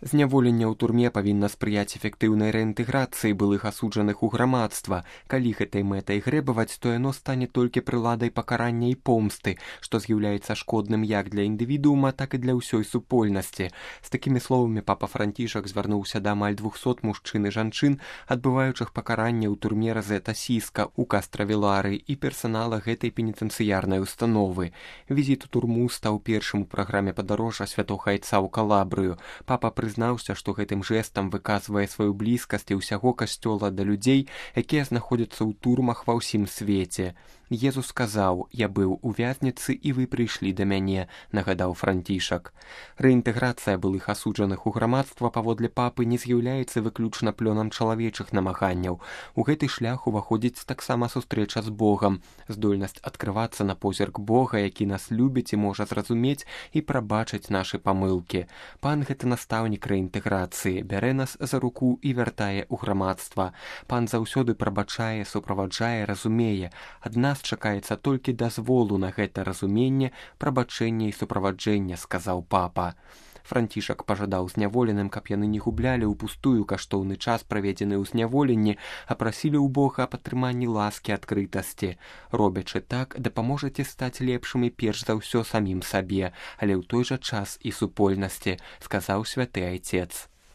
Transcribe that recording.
Зняволенне ў турме павінна спрыяць эфектыўнай рэінтэграцыі былых асуджаных у грамадства. Калі гэтай мэтай грэбаваць, то яно стане толькі прыладай пакарання і помсты, што з'яўляецца шкодным як для індывідуума, так і для ўсёй супольнасці. З такімі словамі папа Францішак звярнуўся да амаль 200 мужчын і жанчын, адбываючых пакаранне ў турме Розета Сіска ў Кастравілары і персанала гэтай пенітэнцыярнай установы. Візіт у турму стаў першым у праграме падарожжа святога айца ў Калабрыю. Папа прызнаўся, што гэтым жэстам выказвае сваю блізкасць і ўсяго касцёла да людзей, якія знаходзяцца ў турмах ва ўсім свеце. Езус сказаў: «Я быў у вязніцы, і вы прыйшлі да мяне», нагадаў Францішак. Рэінтэграцыя былых асуджаных у грамадства паводле папы не з'яўляецца выключна плёнам чалавечых намаганняў. У гэты шлях уваходзіць таксама сустрэча з Богам, здольнасць адкрывацца на позірк Бога, які нас любіць і можа зразумець і прабачыць нашы памылкі. Пан гэта настаўнік рэінтэграцыі, бярэ нас за руку і вяртае ў грамадства. Пан заўсёды прабачае, суправаджае, разумее. Ад нас чакаецца толькі дазволу на гэта разуменне, прабачэнне і суправаджэнне, сказаў папа. Францішак пажадаў зняволеным, каб яны не гублялі ўпустую каштоўны час, праведзены ў зняволенні, а прасілі ў Бога аб атрыманні ласкі, адкрытасці. Робячы так, дапаможаце стаць лепшымі перш за ўсё самім сабе, але ў той жа час і супольнасці, сказаў святы айцец.